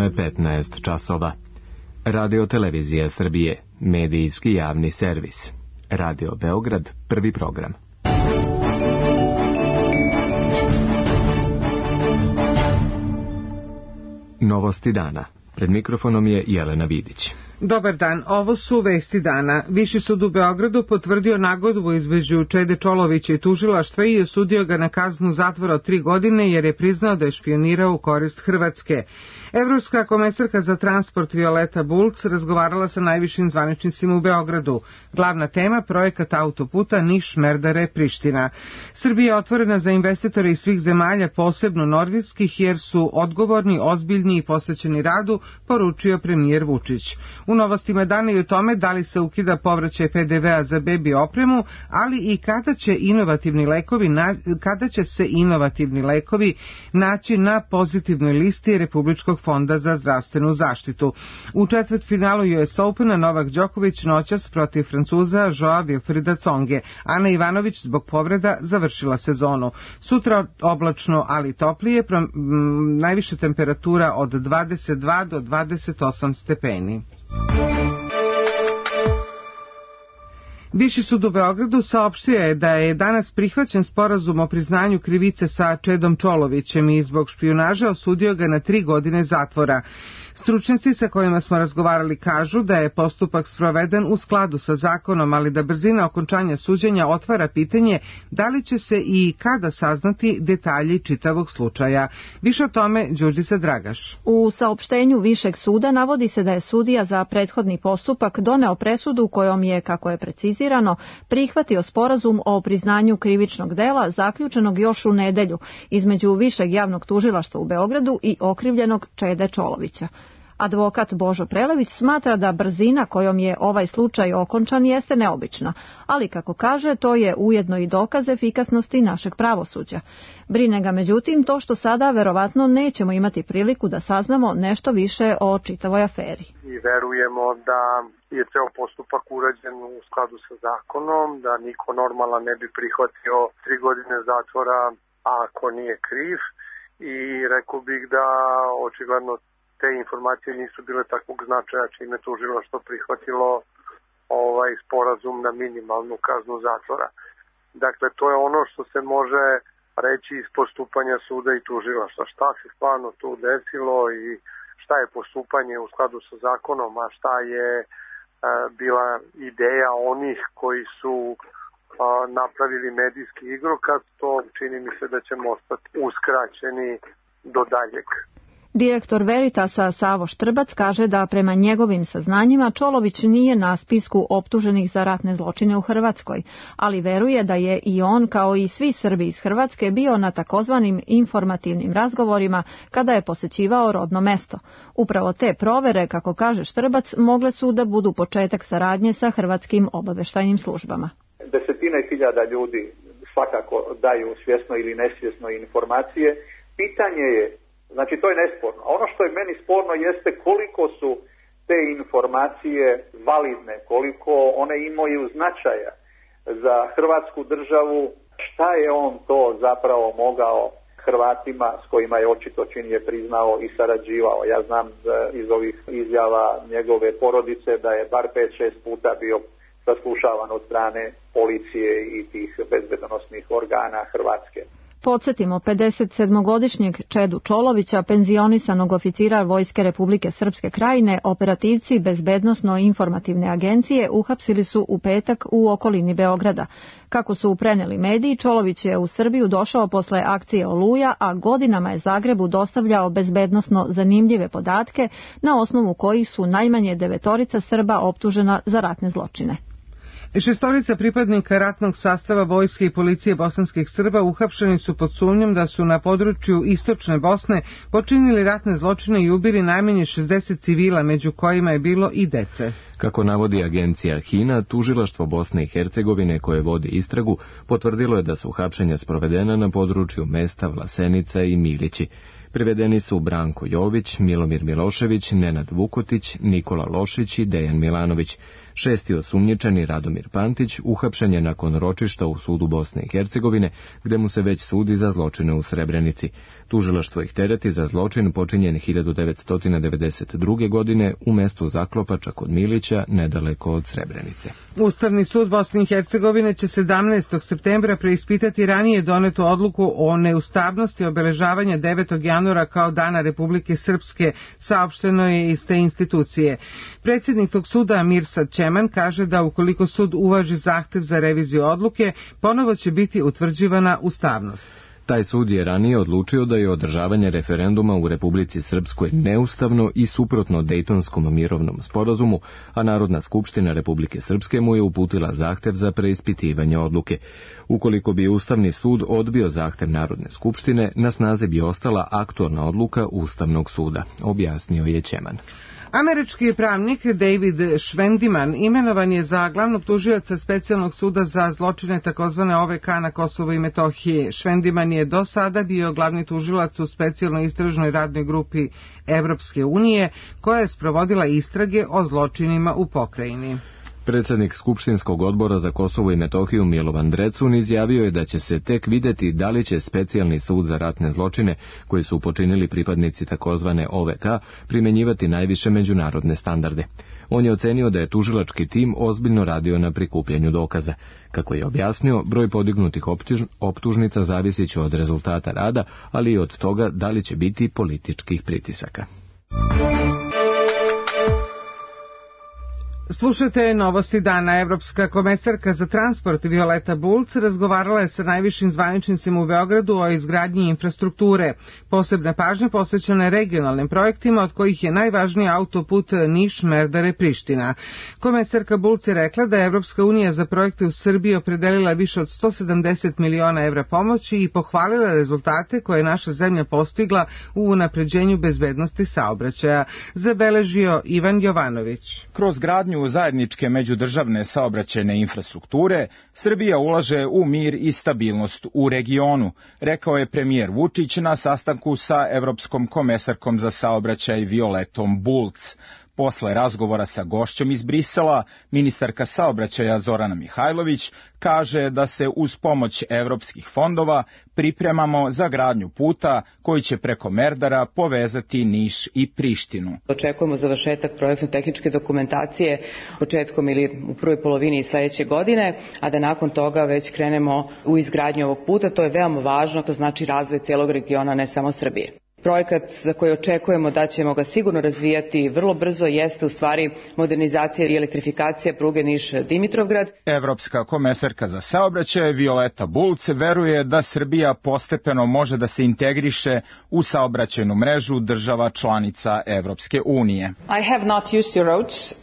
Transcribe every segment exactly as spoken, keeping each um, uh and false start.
Tačno je petnaest časova. Radio Televizija Srbije, medijski javni servis. Radio Beograd, prvi program. Novosti dana. Pred mikrofonom je Jelena Vidić. Dobar dan, ovo su vesti dana. Viši sud u Beogradu potvrdio nagodbu između Čede Čolovića i tužilaštva i osudio ga na kaznu zatvora od tri godine jer je priznao da je špijunirao u korist Hrvatske. Evropska komesarka za transport Violeta Bulc razgovarala sa najvišim zvaničnicima u Beogradu. Glavna tema projekat autoputa Niš-Merdare-Priština. Srbija je otvorena za investitore iz svih zemalja, posebno nordijskih, jer su odgovorni, ozbiljni i posvećeni radu, poručio premijer Vučić. U novostima dana i o tome da li se ukida povraćaj P D V-a za bebi opremu, ali i kada će inovativni lekovi na, kada će se inovativni lekovi naći na pozitivnoj listi Republičkog fonda za zdravstvenu zaštitu. U četvrtfinalu U S Opena Novak Đoković noćas protiv Francuza Joa Wilfrida Tsonge. Ana Ivanović zbog povreda završila sezonu. Sutra oblačno, ali toplije, m, najviša temperatura od dvadeset dva do dvadeset osam stepeni. Viši sud u Beogradu saopštio je da je danas prihvaćen sporazum o priznanju krivice sa Čedom Čolovićem i zbog špijunaže osudio ga na tri godine zatvora. Stručnjaci sa kojima smo razgovarali kažu da je postupak sproveden u skladu sa zakonom, ali da brzina okončanja suđenja otvara pitanje da li će se i kada saznati detalji čitavog slučaja. Više o tome Đurđica Dragaš. U saopštenju Višeg suda navodi se da je sudija za prethodni postupak doneo presudu kojom je, kako je precizirano, prihvatio sporazum o priznanju krivičnog dela zaključenog još u nedelju između Višeg javnog tužilaštva u Beogradu i okrivljenog Čede Čolovića. Advokat Božo Prelević smatra da brzina kojom je ovaj slučaj okončan jeste neobična, ali kako kaže, to je ujedno i dokaz efikasnosti našeg pravosuđa. Brine ga međutim to što sada verovatno nećemo imati priliku da saznamo nešto više o čitavoj aferi. I verujemo da je ceo postupak urađen u skladu sa zakonom, da niko normalan ne bi prihvatio tri godine zatvora ako nije kriv, i rekao bih da očigledno te informacije nisu bile takvog značaja čime tužilaštvo prihvatilo ovaj sporazum na minimalnu kaznu zatvora. Dakle, to je ono što se može reći iz postupanja suda i tužilaštva. Šta se stvarno tu desilo i šta je postupanje u skladu sa zakonom, a šta je e, bila ideja onih koji su a, napravili medijski igrokaz, to čini mi se da ćemo ostati uskraćeni do daljeg. Direktor Veritasa Savo Štrbac kaže da prema njegovim saznanjima Čolović nije na spisku optuženih za ratne zločine u Hrvatskoj, ali veruje da je i on, kao i svi Srbi iz Hrvatske, bio na takozvanim informativnim razgovorima kada je posećivao rodno mesto. Upravo te provere, kako kaže Štrbac, mogle su da budu početak saradnje sa hrvatskim obaveštajnim službama. Desetine hiljada ljudi svakako daju svjesno ili nesvjesno informacije. Pitanje je, znači to je nesporno. Ono što je meni sporno jeste koliko su te informacije validne, koliko one imaju značaja za Hrvatsku državu, šta je on to zapravo mogao Hrvatima s kojima je očito čin je priznao i sarađivao. Ja znam iz ovih izjava njegove porodice da je bar pet šest puta bio saslušavan od strane policije i tih bezbednosnih organa Hrvatske. Podsjetimo, pedesetsedmogodišnjeg Čedu Čolovića, penzionisanog oficira Vojske Republike Srpske Krajine, operativci Bezbednosno-informativne agencije uhapsili su u petak u okolini Beograda. Kako su preneli mediji, Čolović je u Srbiju došao posle akcije Oluja, a godinama je Zagrebu dostavljao bezbednosno zanimljive podatke na osnovu kojih su najmanje devetorica Srba optužena za ratne zločine. Šestorica pripadnika ratnog sastava Vojske i policije bosanskih Srba uhapšeni su pod sumnjom da su na području istočne Bosne počinili ratne zločine i ubili najmanje šezdeset civila, među kojima je bilo i dece. Kako navodi agencija HINA, tužilaštvo Bosne i Hercegovine koje vodi istragu potvrdilo je da su uhapšenja sprovedena na području mesta Vlasenica i Milići. Privedeni su Branko Jović, Milomir Milošević, Nenad Vukotić, Nikola Lošić i Dejan Milanović. Šesti osumnjičeni, Radomir Pantić, uhapšen je nakon ročišta u sudu Bosne i Hercegovine, gde mu se već sudi za zločine u Srebrenici. Tužilaštvo ih tereti za zločin počinjen hiljadu devetsto devedeset druge. godine u mestu Zaklopača kod Milića, nedaleko od Srebrenice. Ustavni sud Bosne i Hercegovine će sedamnaestog septembra preispitati ranije donetu odluku o neustavnosti obeležavanja devetog januara kao Dana Republike Srpske, saopšteno je iz te institucije. Predsjednik tog suda Mirsad Čeman kaže da ukoliko sud uvaži zahtev za reviziju odluke, ponovo će biti utvrđivana ustavnost. Taj sud je ranije odlučio da je održavanje referenduma u Republici Srpskoj neustavno i suprotno Dejtonskom mirovnom sporazumu, a Narodna skupština Republike Srpske mu je uputila zahtev za preispitivanje odluke. Ukoliko bi Ustavni sud odbio zahtev Narodne skupštine, na snazi bi ostala aktualna odluka Ustavnog suda, objasnio je Čeman. Američki pravnik David Švendiman imenovan je za glavnog tužioca Specijalnog suda za zločine takozvane O V K na Kosovu i Metohiji. Švendiman je do sada bio glavni tužilac u specijalnoj istražnoj radnoj grupi Evropske unije koja je sprovodila istrage o zločinima u pokrajini. Predsjednik Skupštinskog odbora za Kosovo i Metohiju Milovan Drecun izjavio je da će se tek vidjeti da li će Specijalni sud za ratne zločine, koji su počinili pripadnici takozvane O V K, primjenjivati najviše međunarodne standarde. On je ocenio da je tužilački tim ozbiljno radio na prikupljanju dokaza. Kako je objasnio, broj podignutih optužnica zavisit će od rezultata rada, ali i od toga da li će biti političkih pritisaka. Slušajte novosti dana. Evropska komesarka za transport Violeta Bulc razgovarala je sa najvišim zvaničnicima u Beogradu o izgradnji infrastrukture. Posebna pažnja posvećena je regionalnim projektima, od kojih je najvažniji autoput Niš-Merdare-Priština. Komesarka Bulc je rekla da je Evropska unija za projekte u Srbiji opredelila više od sto sedamdeset miliona evra pomoći i pohvalila rezultate koje je naša zemlja postigla u unapređenju bezbednosti saobraćaja. Zabeležio Ivan Jovanović. Kroz gradnju zajedničke međudržavne saobraćajne infrastrukture, Srbija ulaže u mir i stabilnost u regionu, rekao je premijer Vučić na sastanku sa Evropskom komesarkom za saobraćaj Violetom Bulc. Posle razgovora sa gošćom iz Brisela, ministarka saobraćaja Zorana Mihajlović kaže da se uz pomoć evropskih fondova pripremamo za gradnju puta koji će preko Merdara povezati Niš i Prištinu. Očekujemo završetak projektno-tehničke dokumentacije početkom ili u prvoj polovini sledeće godine, a da nakon toga već krenemo u izgradnju ovog puta. To je veoma važno, to znači razvoj cijelog regiona, ne samo Srbije. Projekat za koji očekujemo da ćemo ga sigurno razvijati vrlo brzo jeste u stvari modernizacija i elektrifikacija pruge Niš-Dimitrovgrad. Evropska komesarka za saobraćaj Violeta Bulc veruje da Srbija postepeno može da se integriše u saobraćajnu mrežu država članica Evropske unije.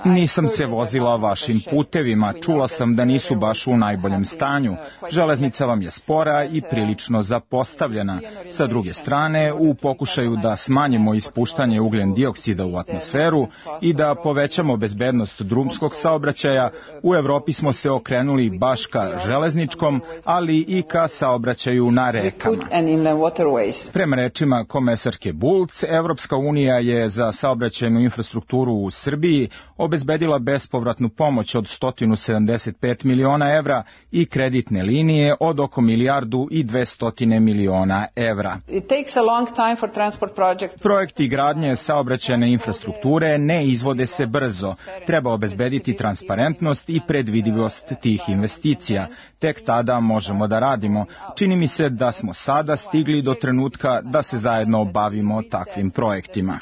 Nisam se vozila vašim putevima, čula sam da nisu baš u najboljem stanju. Železnica vam je spora i prilično zapostavljena. Sa druge strane, u pokušaju da smanjimo ispuštanje ugljen dioksida u atmosferu i da povećamo bezbednost drumskog saobraćaja, u Evropi smo se okrenuli baš ka železničkom, ali i ka saobraćaju na rekama. Prema rečima komesarke Bulc, Evropska unija je za saobraćajnu infrastrukturu u Srbiji obezbedila bespovratnu pomoć od sto sedamdeset pet miliona evra i kreditne linije od oko milijardu i dvesta miliona evra. Projekti gradnje saobraćajne infrastrukture ne izvode se brzo. Treba obezbediti transparentnost i predvidivost tih investicija. Tek tada možemo da radimo. Čini mi se da smo sada stigli do trenutka da se zajedno bavimo takvim projektima.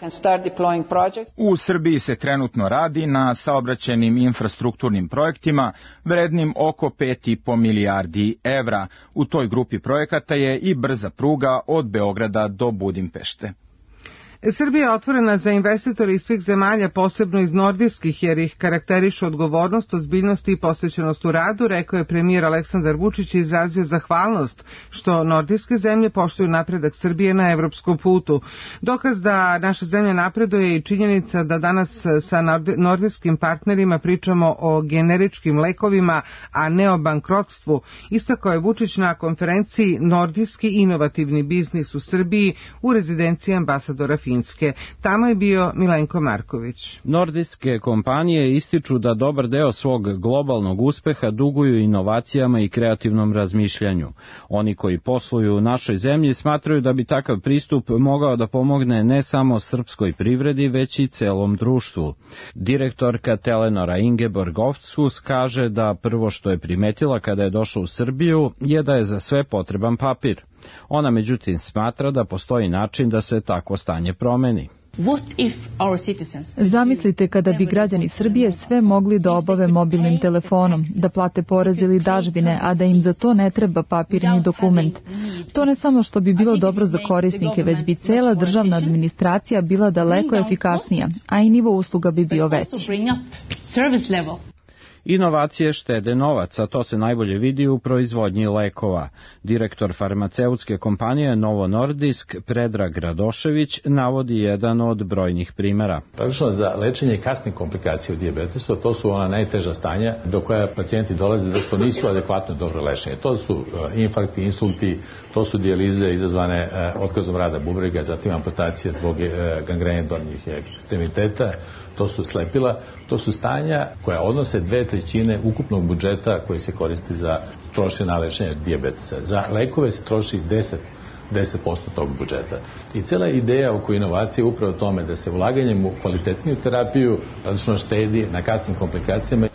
U Srbiji se trenutno radi na saobraćajnim infrastrukturnim projektima vrednim oko pet i po milijardi evra. U toj grupi projekata je i brza pruga od Beograda do Budimpešte. Srbija je otvorena za investitore iz svih zemalja, posebno iz nordijskih, jer ih karakterišu odgovornost, ozbiljnost i posvećenost u radu, rekao je premijer Aleksandar Vučić i izrazio zahvalnost što nordijske zemlje poštuju napredak Srbije na evropskom putu. Dokaz da naša zemlja napreduje i činjenica da danas sa nordijskim partnerima pričamo o generičkim lekovima, a ne o bankrotstvu, istakao je Vučić na konferenciji Nordijski inovativni biznis u Srbiji u rezidenciji ambasadora Finske. Tamo je bio Milenko Marković. Nordijske kompanije ističu da dobar deo svog globalnog uspeha duguju inovacijama i kreativnom razmišljanju. Oni koji posluju u našoj zemlji smatraju da bi takav pristup mogao da pomogne ne samo srpskoj privredi, već i celom društvu. Direktorka Telenora Ingeborg Ofshus kaže da prvo što je primetila kada je došla u Srbiju je da je za sve potreban papir. Ona međutim smatra da postoji način da se takvo stanje promeni. Zamislite kada bi građani Srbije sve mogli da obave mobilnim telefonom, da plate porez ili dažbine, a da im za to ne treba papirni dokument. To ne samo što bi bilo dobro za korisnike, već bi cela državna administracija bila daleko efikasnija, a i nivo usluga bi bio veći. Inovacije štede novac, a to se najbolje vidi u proizvodnji lekova. Direktor farmaceutske kompanije Novo Nordisk, Predrag Radošević, navodi jedan od brojnih primera. Praktično za lečenje kasnih komplikacija u dijabetesu, to su ona najteža stanja do koja pacijenti dolaze da što nisu adekvatno dobro lečenje. To su infarkti, insulti, to su dijalize izazvane otkazom rada bubrega, zatim amputacije zbog gangrene donjih ekstremiteta, to su slepila, to su stanja koja odnose dve trećine ukupnog budžeta koji se koristi za trošenje na lečenje dijabetesa. Za lekove se troši deset posto tog budžeta. I cela ideja oko inovacije je upravo tome da se ulaganjem u kvalitetniju terapiju praktično štedi na kasnim komplikacijama.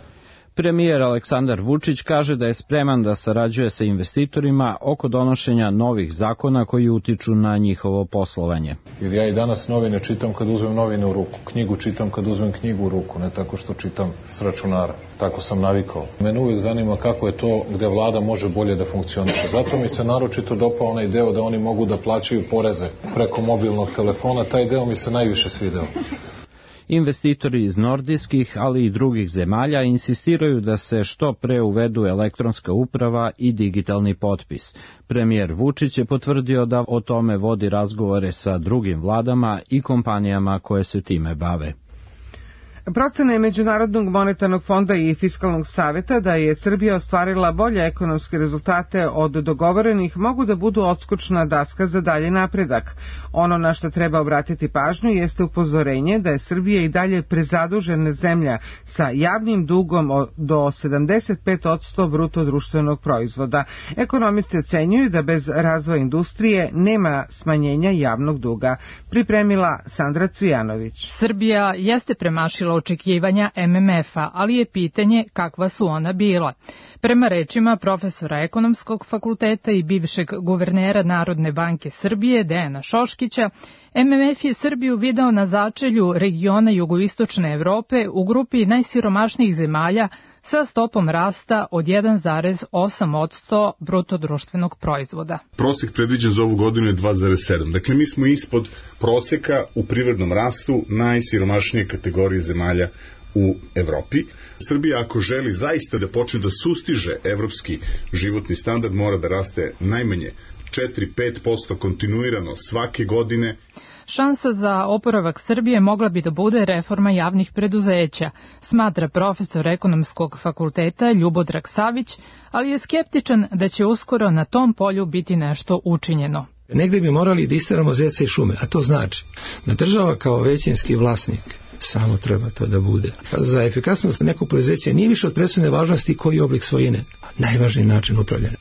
Premijer Aleksandar Vučić kaže da je spreman da sarađuje sa investitorima oko donošenja novih zakona koji utiču na njihovo poslovanje. Jer ja i danas novine čitam kad uzmem novine u ruku, knjigu čitam kad uzmem knjigu u ruku, ne tako što čitam s računara. Tako sam navikao. Mene uvijek zanima kako je to gde vlada može bolje da funkcioniše. Zato mi se naročito dopao onaj deo da oni mogu da plaćaju poreze preko mobilnog telefona. Taj deo mi se najviše svideo. Investitori iz nordijskih, ali i drugih zemalja insistiraju da se što pre uvedu elektronska uprava i digitalni potpis. Premijer Vučić je potvrdio da o tome vodi razgovore sa drugim vladama i kompanijama koje se time bave. Procena je Međunarodnog monetarnog fonda i Fiskalnog saveta da je Srbija ostvarila bolje ekonomske rezultate od dogovorenih mogu da budu odskočna daska za dalje napredak. Ono na što treba obratiti pažnju jeste upozorenje da je Srbija i dalje prezadužena zemlja sa javnim dugom do sedamdeset pet posto bruto društvenog proizvoda. Ekonomisti ocenjuju da bez razvoja industrije nema smanjenja javnog duga. Pripremila Sandra Cvijanović. Srbija jeste premašila očekivanja M M F-a, ali je pitanje kakva su ona bila. Prema rečima profesora ekonomskog fakulteta i bivšeg guvernera Narodne banke Srbije Dejana Šoškića, M M F je Srbiju video na začelju regiona jugoistočne Evrope u grupi najsiromašnijih zemalja sa stopom rasta od jedan zarez osam posto bruto društvenog proizvoda. Prosek predviđen za ovu godinu je dva zarez sedam. Dakle, mi smo ispod proseka u privrednom rastu najsiromašnije kategorije zemalja u Evropi. Srbija, ako želi zaista da počne da sustiže evropski životni standard, mora da raste najmanje četiri do pet posto kontinuirano svake godine. Šansa za oporavak Srbije mogla bi da bude reforma javnih preduzeća, smatra profesor ekonomskog fakulteta Ljubodrag Savić, ali je skeptičan da će uskoro na tom polju biti nešto učinjeno. Negde bi morali da isteramo zeca i šume, a to znači da država kao većinski vlasnik samo treba to da bude. Za efikasnost nekog preduzeća nije više od presudne važnosti koji je oblik svojine, najvažniji način upravljanja.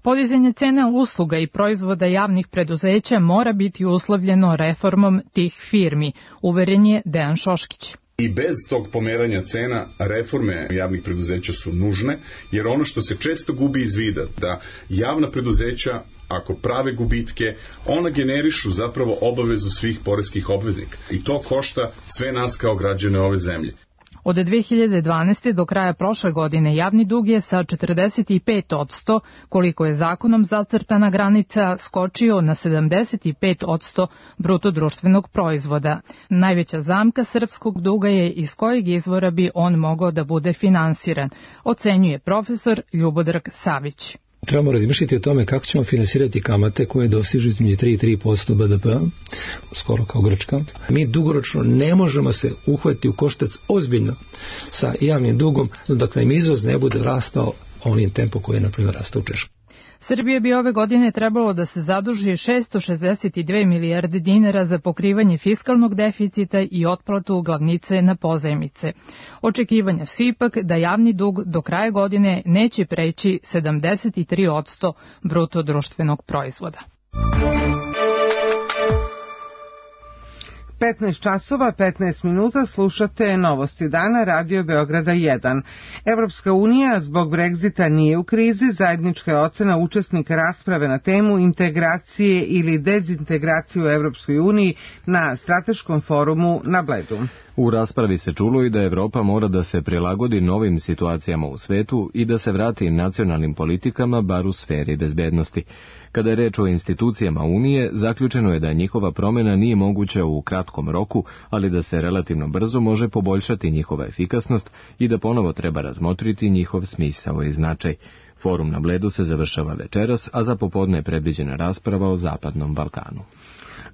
Podizanje cena usluga i proizvoda javnih preduzeća mora biti uslovljeno reformom tih firmi, uveren je Dejan Šoškić. I bez tog pomeranja cena reforme javnih preduzeća su nužne, jer ono što se često gubi iz vida, da javna preduzeća, ako prave gubitke, ona generišu zapravo obavezu svih poreskih obveznika. I to košta sve nas kao građane ove zemlje. Od dve hiljade dvanaeste. do kraja prošle godine javni dug je sa četrdeset pet posto, koliko je zakonom zacrtana granica, skočio na sedamdeset pet posto bruto društvenog proizvoda. Najveća zamka srpskog duga je iz kojeg izvora bi on mogao da bude finansiran, ocenjuje profesor Ljubodrag Savić. Trebamo razmišljati o tome kako ćemo finansirati kamate koje dosižu između tri i tri posto B D P, skoro kao Grčka. Mi dugoročno ne možemo se uhvatiti u koštac ozbiljno sa javnim dugom dok nam izvoz ne bude rastao onim tempom koji je, na primjer, rastao u Češkoj. Srbije bi ove godine trebalo da se zaduži šesto šezdeset dve milijarde dinara za pokrivanje fiskalnog deficita i otplatu glavnice na pozajmice. Očekivanja su ipak da javni dug do kraja godine neće preći sedamdeset tri posto bruto društvenog proizvoda. petnaest časova, petnaest minuta, slušate Novosti dana, Radio Beograda jedan. Evropska unija zbog Brexita nije u krizi, zajednička je ocena učesnika rasprave na temu integracije ili dezintegracije u Evropskoj uniji na strateškom forumu na Bledu. U raspravi se čulo i da Evropa mora da se prilagodi novim situacijama u svetu i da se vrati nacionalnim politikama, bar u sferi bezbednosti. Kada je reč o institucijama Unije, zaključeno je da njihova promjena nije moguća u kratkom roku, ali da se relativno brzo može poboljšati njihova efikasnost i da ponovo treba razmotriti njihov smisao i značaj. Forum na Bledu se završava večeras, a za popodne je predviđena rasprava o Zapadnom Balkanu.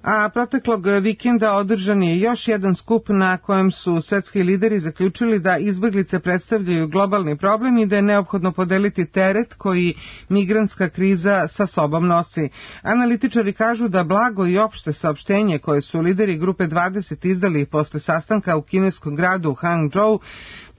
A proteklog vikenda održan je još jedan skup na kojem su svetski lideri zaključili da izbeglice predstavljaju globalni problem i da je neophodno podeliti teret koji migrantska kriza sa sobom nosi. Analitičari kažu da blago i opšte saopštenje koje su lideri grupe dvadeset izdali posle sastanka u kineskom gradu Hangzhou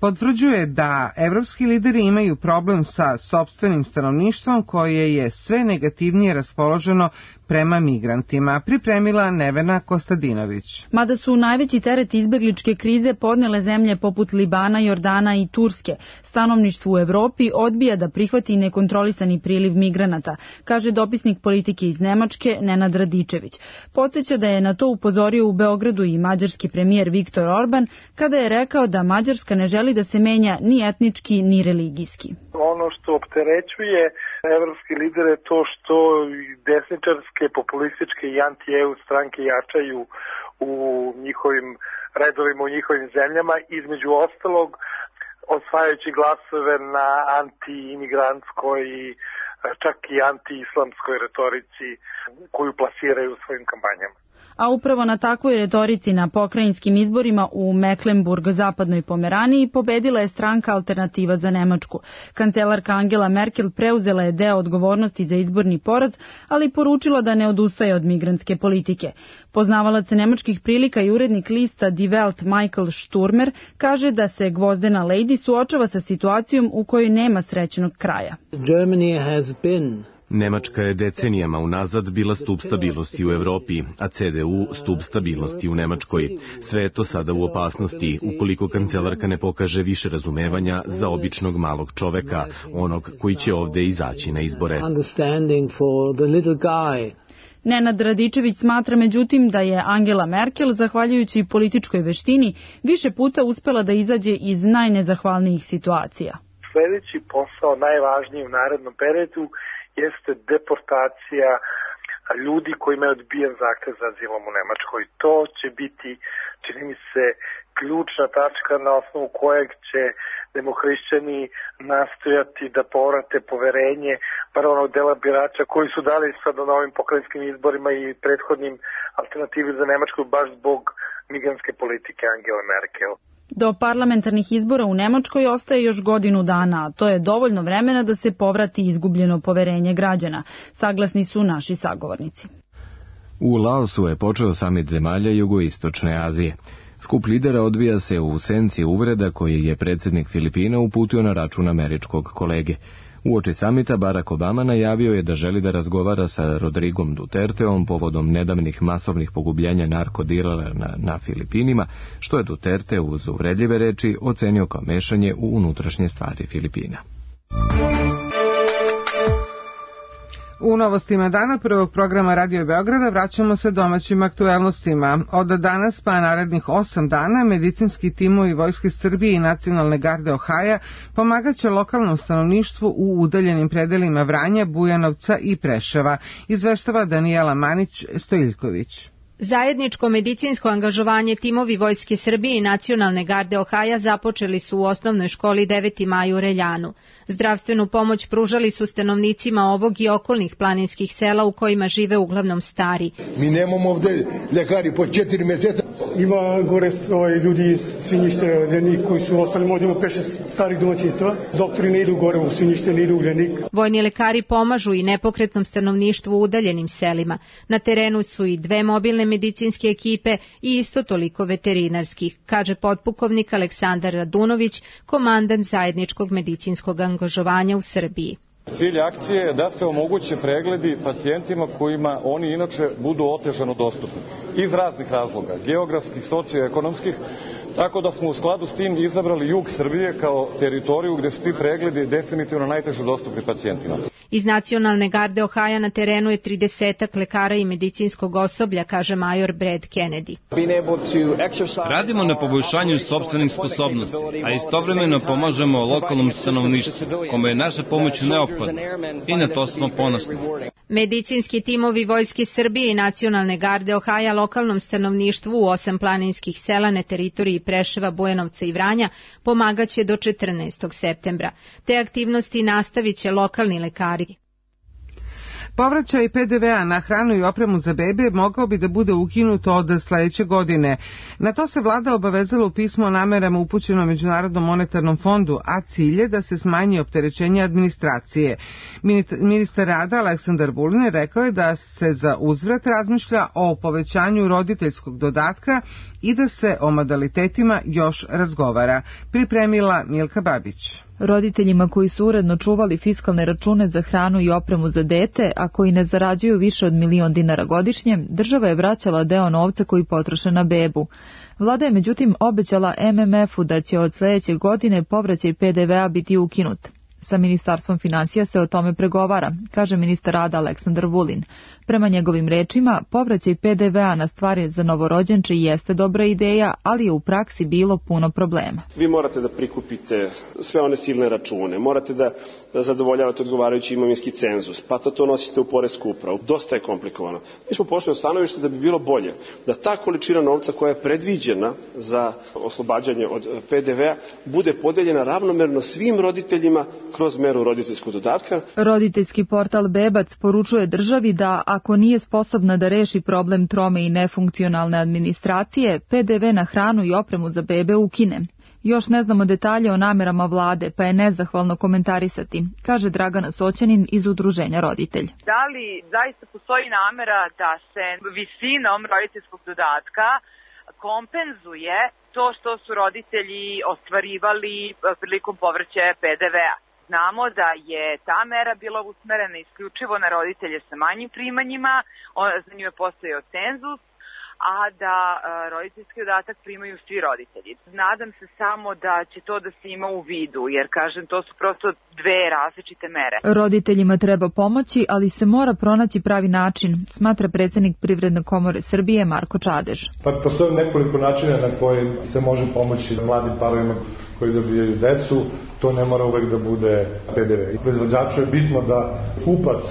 potvrđuje da evropski lideri imaju problem sa sopstvenim stanovništvom koje je sve negativnije raspoloženo prema migrantima, pripremila Nevena Kostadinović. Mada su najveći teret izbegličke krize podnele zemlje poput Libana, Jordana i Turske, stanovništvo u Evropi odbija da prihvati nekontrolisani priliv migranata, kaže dopisnik politike iz Nemačke Nenad Radičević. Podsjeća da je na to upozorio u Beogradu i mađarski premijer Viktor Orban kada je rekao da Mađarska ne želi da se menja ni etnički ni religijski. Ono što opterećuje evropski lider je to što desničarske, populističke i anti-E U stranke jačaju u njihovim redovima, u njihovim zemljama, između ostalog osvajajući glasove na anti-imigrantskoj i čak i anti-islamskoj retorici koju plasiraju u svojim kampanjama. A upravo na takvoj retorici na pokrajinskim izborima u Mecklenburg-zapadnoj Pomeraniji pobedila je stranka Alternativa za Nemačku. Kancelarka Angela Merkel preuzela je deo odgovornosti za izborni poraz, ali poručila da ne odustaje od migrantske politike. Poznavalac nemačkih prilika i urednik lista Die Welt Michael Sturmer kaže da se gvozdena lady suočava sa situacijom u kojoj nema srećnog kraja. Germany has been Nemačka je decenijama unazad bila stub stabilnosti u Evropi, a C D U stub stabilnosti u Nemačkoj. Sve je to sada u opasnosti, ukoliko kancelarka ne pokaže više razumevanja za običnog malog čoveka, onog koji će ovde izaći na izbore. Nenad Radičević smatra međutim da je Angela Merkel, zahvaljujući političkoj veštini, više puta uspela da izađe iz najnezahvalnijih situacija. Sljedeći posao, najvažniji u narednom periodu, jeste deportacija ljudi kojima je odbijen zahtev za azilom u Nemačkoj. To će biti, čini mi se, ključna tačka na osnovu kojeg će demohrišćani nastojati da povrate poverenje bar onog dela birača koji su dali sad na novim pokrajinskim izborima i prethodnim Alternativi za Nemačku baš zbog migrantske politike Angele Merkel. Do parlamentarnih izbora u Nemačkoj ostaje još godinu dana, a to je dovoljno vremena da se povrati izgubljeno poverenje građana, saglasni su naši sagovornici. U Laosu je počeo samit zemalja jugoistočne Azije. Skup lidera odvija se u senci uvreda koji je predsjednik Filipina uputio na račun američkog kolege. Uoči samita Barack Obama najavio je da želi da razgovara sa Rodrigom Duterteom povodom nedavnih masovnih pogubljenja narkodilera na, na Filipinima, što je Duterte uz uvredljive reči ocenio kao mešanje u unutrašnje stvari Filipina. U novostima dana prvog programa Radio Beograda vraćamo se domaćim aktuelnostima. Od danas pa narednih osam dana medicinski timovi Vojske Srbije i Nacionalne garde Ohaja pomagaće lokalnom stanovništvu u udaljenim predelima Vranja, Bujanovca i Preševa, izveštava Danijela Manić-Stojiljković. Zajedničko medicinsko angažovanje timovi Vojske Srbije i Nacionalne garde Ohaja započeli su u osnovnoj školi deveti maj u Reljanu. Zdravstvenu pomoć pružali su stanovnicima ovog i okolnih planinskih sela u kojima žive uglavnom stari. Mi nemamo ovde ljekari po četiri meseca. Ima gore ovaj, ljudi iz Svinjište, Ljenik koji su ostali, ovdje ima pet šest starih domaćinstva. Doktori ne idu gore u Svinjište, ne idu u Ljenik. Vojni lekari pomažu i nepokretnom stanovništvu u udaljenim selima. Na terenu su i dve mobilne medicinske ekipe i isto toliko veterinarskih, kaže potpukovnik Aleksandar Radunović, komandant zajedničkog medicinskog angažovanja u Srbiji. Cilj akcije je da se omoguće pregledi pacijentima kojima oni inače budu otežano dostupni. Iz raznih razloga, geografskih, socioekonomskih, tako da smo u skladu s tim izabrali jug Srbije kao teritoriju gde su ti pregledi definitivno najteže dostupni pacijentima. Iz Nacionalne garde Ohaja na terenu je tridesetak lekara i medicinskog osoblja, kaže major Brad Kennedy. Radimo na poboljšanju sopstvenih sposobnosti, a istovremeno pomažemo lokalnom stanovništvu, kome je naša pomoć neophodna i na to smo ponosni. Medicinski timovi Vojske Srbije i Nacionalne garde Ohaja lokalnom stanovništvu u osam planinskih sela na teritoriji Preševa, Bujanovca i Vranja pomagaće do četrnaestog septembra. Te aktivnosti nastavit će lokalni lekari. Povraćaj P D V a na hranu i opremu za bebe mogao bi da bude ukinuto od sledeće godine. Na to se vlada obavezala u pismu o namerama upućeno Međunarodnom monetarnom fondu, a cilj je da se smanji opterećenje administracije. Ministar rada Aleksandar Vulin rekao je da se za uzvrat razmišlja o povećanju roditeljskog dodatka i da se o modalitetima još razgovara. Pripremila Milka Babić. Roditeljima koji su uredno čuvali fiskalne račune za hranu i opremu za dete, a koji ne zarađuju više od milion dinara godišnje, država je vraćala deo novca koji potroše na bebu. Vlada je međutim obećala M M F-u da će od sledeće godine povraćaj P D V a biti ukinut. Sa Ministarstvom financija se o tome pregovara, kaže ministar rada Aleksandar Vulin. Prema njegovim rečima, povraćaj P D V a na stvari za novorođenče jeste dobra ideja, ali je u praksi bilo puno problema. Vi morate da prikupite sve one silne račune, morate da, da zadovoljavate odgovarajući imovinski cenzus, pa to nosite u poresku upravu. Dosta je komplikovano. Mi smo pošli od stanovišta da bi bilo bolje da ta količina novca koja je predviđena za oslobađanje od P D V a bude podeljena ravnomerno svim roditeljima kroz meru roditeljskog dodatka. Roditeljski portal Bebac poručuje državi da ako nije sposobna da reši problem trome i nefunkcionalne administracije, P D V na hranu i opremu za bebe ukine. Još ne znamo detalje o namerama vlade, pa je nezahvalno komentarisati, kaže Dragana Soćanin iz Udruženja Roditelj. Da li zaista postoji namera da se visinom roditeljskog dodatka kompenzuje to što su roditelji ostvarivali prilikom povraćaja P D V a? Znamo da je ta mera bila usmerena isključivo na roditelje sa manjim primanjima, za nju je postojao cenzus, a da roditeljski dodatak primaju svi roditelji. Nadam se samo da će to da se ima u vidu, jer kažem, to su prosto dve različite mere. Roditeljima treba pomoći, ali se mora pronaći pravi način, smatra predsjednik Privredne komore Srbije Marko Čadež. Pa postoje nekoliko načina na koje se može pomoći mladim parovima koji dobijaju decu, to ne mora uvek da bude P D V. Proizvođaču je bitno da kupac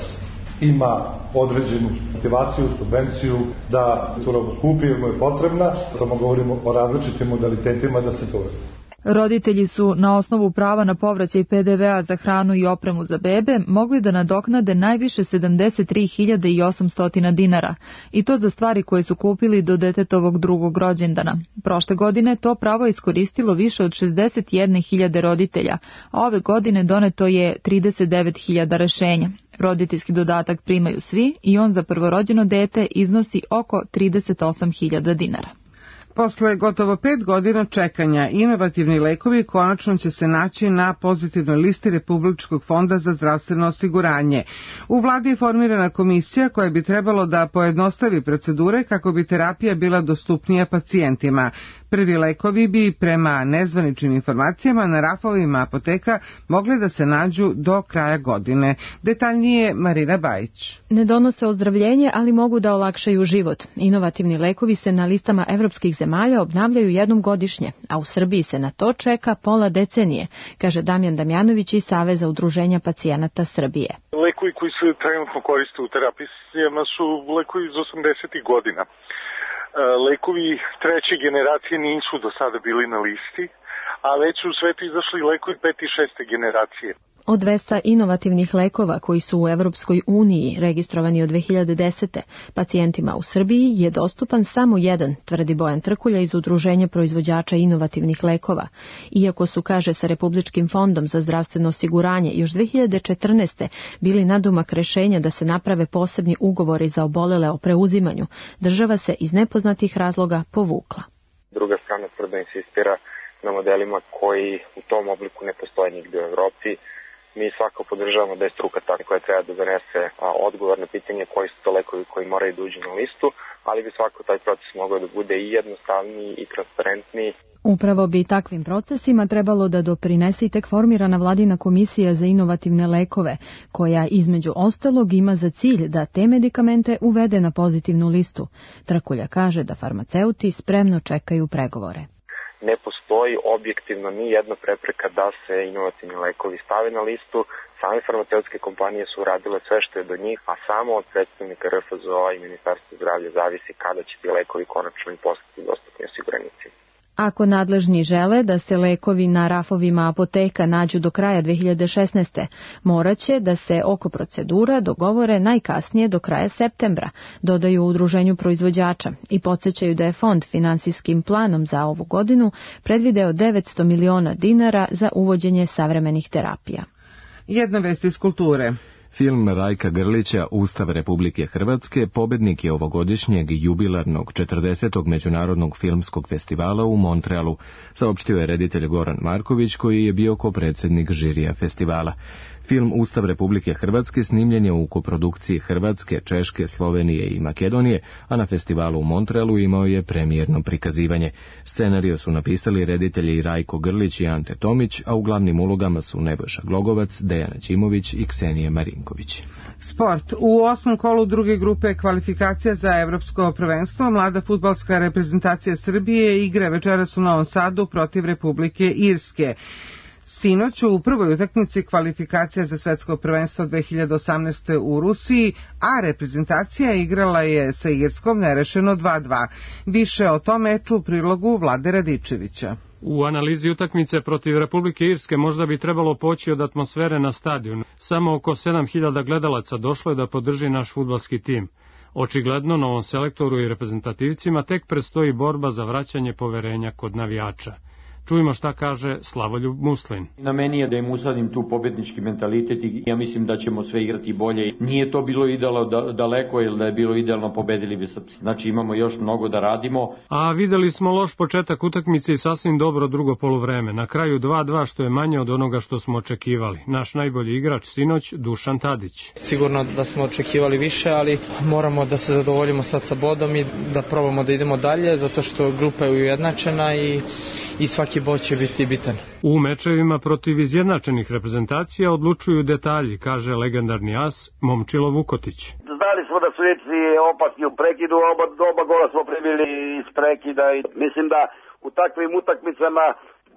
ima određenu motivaciju, subvenciju, da tu robu kupi jer mu je potrebna, samo govorimo o različitim modalitetima da se to uradi. Roditelji su na osnovu prava na povraćaj P D V a za hranu i opremu za bebe mogli da nadoknade najviše sedamdeset tri hiljade osamsto dinara i to za stvari koje su kupili do detetovog drugog rođendana. Prošle godine to pravo je iskoristilo više od šezdeset jedne hiljade roditelja, a ove godine doneto je trideset devet hiljada rešenja. Roditeljski dodatak primaju svi i on za prvorođeno dete iznosi oko trideset osam hiljada dinara. Posle gotovo pet godina čekanja, inovativni lekovi konačno će se naći na pozitivnoj listi Republičkog fonda za zdravstveno osiguranje. U vladi je formirana komisija koja bi trebalo da pojednostavi procedure kako bi terapija bila dostupnija pacijentima. Prvi lekovi bi, prema nezvaničnim informacijama, na rafovima apoteka mogli da se nađu do kraja godine. Detaljnije Marina Bajić. Ne donose ozdravljenje, ali mogu da olakšaju život. Inovativni lekovi se na listama evropskih zemalja obnavljaju jednom godišnje, a u Srbiji se na to čeka pola decenije, kaže Damjan Damjanović iz Saveza udruženja pacijenata Srbije. Lekovi koji se trenutno koriste u terapijama su lekovi iz osamdesetih godina. Lekovi treće generacije nisu do sada bili na listi, a već su u svetu izašli lekovi pete i šeste generacije. Od dvesta inovativnih lekova koji su u Evropskoj uniji registrovani od dve hiljade desete. pacijentima u Srbiji je dostupan samo jedan, tvrdi Bojan Trkulja iz Udruženja proizvođača inovativnih lekova. Iako su, kaže, sa Republičkim fondom za zdravstveno osiguranje još dve hiljade četrnaeste. bili nadomak rešenja da se naprave posebni ugovori za obolele o preuzimanju, država se iz nepoznatih razloga povukla. Druga strana tvrdo insistira na modelima koji u tom obliku ne postoje nigde u Evropi. Mi svako podržavamo da je struka ta koja treba da donese odgovor na pitanje koji su to lekovi koji moraju da uđu na listu, ali bi svako taj proces mogao da bude i jednostavniji i transparentniji. Upravo bi takvim procesima trebalo da doprinese i tek formirana vladina komisija za inovativne lekove, koja između ostalog ima za cilj da te medikamente uvede na pozitivnu listu. Trkulja kaže da farmaceuti spremno čekaju pregovore. Ne postoji objektivno ni jedna prepreka da se inovativni lekovi stave na listu. Same farmaceutske kompanije su uradile sve što je do njih, a samo od predstavnika R F Z O i Ministarstva zdravlja zavisi kada će ti lekovi konačno i postati dostupni osiguranicima. Ako nadležni žele da se lekovi na rafovima apoteka nađu do kraja dve hiljade šesnaeste. moraće da se oko procedura dogovore najkasnije do kraja septembra, dodaju u Udruženju proizvođača i podsjećaju da je fond finansijskim planom za ovu godinu predvideo devetsto miliona dinara za uvođenje savremenih terapija. Jedna vest iz kulture. Film Rajka Grlića Ustav Republike Hrvatske pobednik je ovogodišnjeg jubilarnog četrdesetog međunarodnog filmskog festivala u Montrealu, saopštio je reditelj Goran Marković koji je bio kopredsjednik žirija festivala. Film Ustav Republike Hrvatske snimljen je u koprodukciji Hrvatske, Češke, Slovenije i Makedonije, a na festivalu u Montrealu imao je premijerno prikazivanje. Scenario su napisali reditelji Rajko Grlić i Ante Tomić, a u glavnim ulogama su Nebojša Glogovac, Dejana Ćimović i Ksenija Marinković. Sport. U osmom kolu druge grupe kvalifikacija za evropsko prvenstvo mlada fudbalska reprezentacija Srbije igra večeras u Novom Sadu protiv Republike Irske. Sinoć u prvoj utakmici kvalifikacija za svetsko prvenstvo dve hiljade osamnaeste. u Rusiji, a reprezentacija igrala je sa Irskom nerešeno dva dva. Više o tom meču u prilogu Vlade Radičevića. U analizi utakmice protiv Republike Irske možda bi trebalo poći od atmosfere na stadionu. Samo oko sedam hiljada gledalaca došlo je da podrži naš fudbalski tim. Očigledno novom selektoru i reprezentativcima tek predstoji borba za vraćanje poverenja kod navijača. Čujmo šta kaže Slavoljub Muslin. Na meni je da im usadim tu pobednički mentalitet i ja mislim da ćemo sve igrati bolje. Nije to bilo idealno da, daleko, jer da je bilo idealno pobedili bi Srpci. Znači imamo još mnogo da radimo. A videli smo loš početak utakmice i sasvim dobro drugo poluvreme. Na kraju dva dva što je manje od onoga što smo očekivali. Naš najbolji igrač sinoć Dušan Tadić. Sigurno da smo očekivali više, ali moramo da se zadovoljimo sad sa bodom i da probamo da idemo dalje, zato što grupa je ujednačena i, i svaki bod će biti bitan. U mečevima protiv izjednačenih reprezentacija odlučuju detalji, kaže legendarni as Momčilo Vukotić. Znali smo da su Irci opasni u prekidu, oba, oba gola smo primili iz prekida i mislim da u takvim utakmicama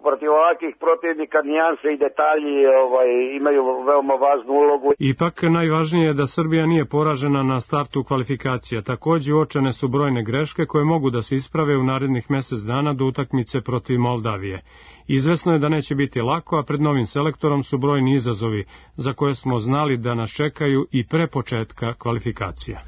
protiv ovakvih protivnika nijanse i detalji ovaj, imaju veoma važnu ulogu. Ipak najvažnije je da Srbija nije poražena na startu kvalifikacija. Takođe uočene su brojne greške koje mogu da se isprave u narednih mesec dana do utakmice protiv Moldavije. Izvesno je da neće biti lako, a pred novim selektorom su brojni izazovi za koje smo znali da nas čekaju i pre početka kvalifikacija.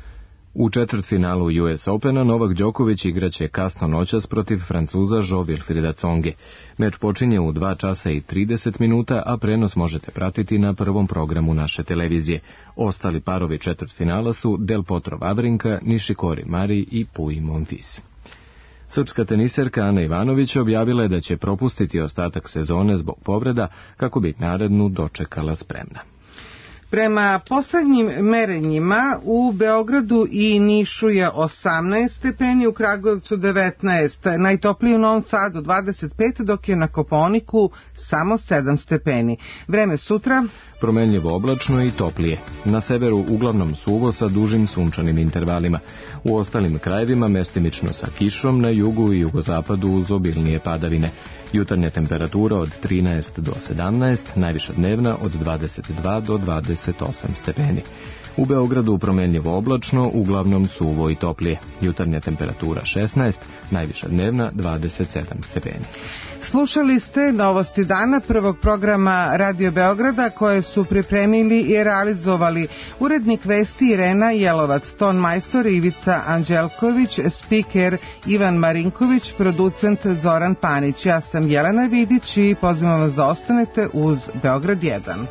U četvrtfinalu U S Opena Novak Đoković igraće kasno noćas protiv Francuza Jo Wilfrieda Tsonge. Meč počinje u dva časa i trideset minuta, a prenos možete pratiti na prvom programu naše televizije. Ostali parovi četvrtfinala su Del Potro Vavrinka, Nishikori Mari i Pui Monfils. Srpska teniserka Ana Ivanović objavila je da će propustiti ostatak sezone zbog povreda kako bi narednu dočekala spremna. Prema poslednjim merenjima u Beogradu i Nišu je osamnaest stepeni, u Kragujevcu devetnaest, najtoplije u Novom Sadu dvadeset pet, dok je na Kopaoniku samo sedam stepeni. Vreme sutra promenljivo oblačno i toplije. Na severu uglavnom suvo sa dužim sunčanim intervalima. U ostalim krajevima mestimično sa kišom, na jugu i jugozapadu uz obilnije padavine. Jutarnja temperatura od trinaest do sedamnaest, najviša dnevna od dvadeset dva do dvadeset osam stepeni. U Beogradu promenljivo oblačno, uglavnom suvo i toplije. Jutarnja temperatura šesnaest, najviša dnevna dvadeset sedam stepeni. Slušali ste novosti dana prvog programa Radio Beograda koje su pripremili i realizovali urednik vesti Irena Jelovac, ton majstor Ivica Anđelković, spiker Ivan Marinković, producent Zoran Panić. Ja sam Jelena Vidić i pozivam vas da ostanete uz Beograd jedan.